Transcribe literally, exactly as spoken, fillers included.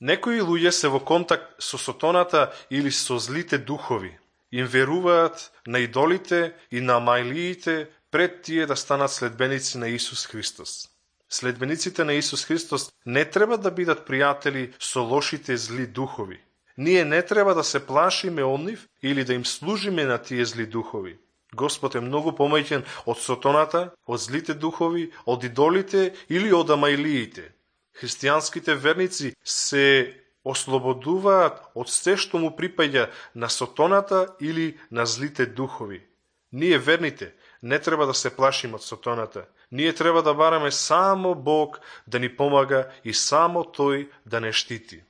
Некои луѓе се во контакт со сотоната или со злите духови. Им веруваат на идолите и на мајлиите пред тие да станат следбеници на Исус Христос. Следбениците на Исус Христос не треба да бидат пријатели со лошите зли духови. Ние не треба да се плашиме од нив или да им служиме на тие зли духови. Господ е многу помоćен од сотоната, од злите духови, од идолите или од амајлиите. Христијанските верници се ослободуваат од се што му припаѓа на сотоната или на злите духови. Ние верните не треба да се плашиме од сотоната. Ние треба да бараме само Бог да ни помага и само Тој да не штити.